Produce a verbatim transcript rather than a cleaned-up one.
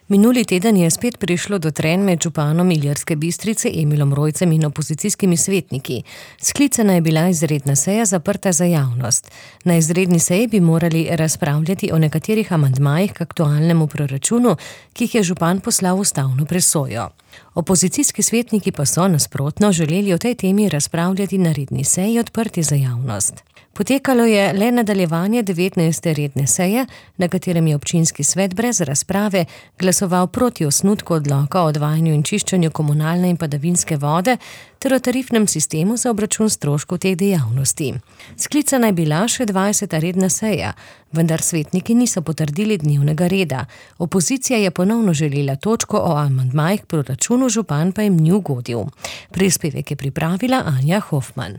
Minuli teden je spet prišlo do trenj med županom Ilirske Bistrice Emilom Rojcem in opozicijskimi svetniki. Sklicana je bila izredna seja zaprta za javnost. Na izredni seji bi morali razpravljati o nekaterih amandmajih k aktualnemu proračunu, ki jih je župan poslal v ustavno presojo. Opozicijski svetniki pa so nasprotno želeli o tej temi razpravljati na redni seji odprti za javnost. Potekalo je le nadaljevanje devetnajste redne seje, na katerem je občinski svet brez razprave glasoval proti osnutku odloka o odvajanju in čiščenju komunalne in padavinske vode ter o tarifnem sistemu za obračun stroškov teh dejavnosti. Sklicana je bila še dvajseta redna seja, vendar svetniki niso potrdili dnevnega reda. Opozicija je ponovno želela točko o amandmajih k proračunu, župan pa jim ni ugodil. Prispevek je pripravila Anja Hofman.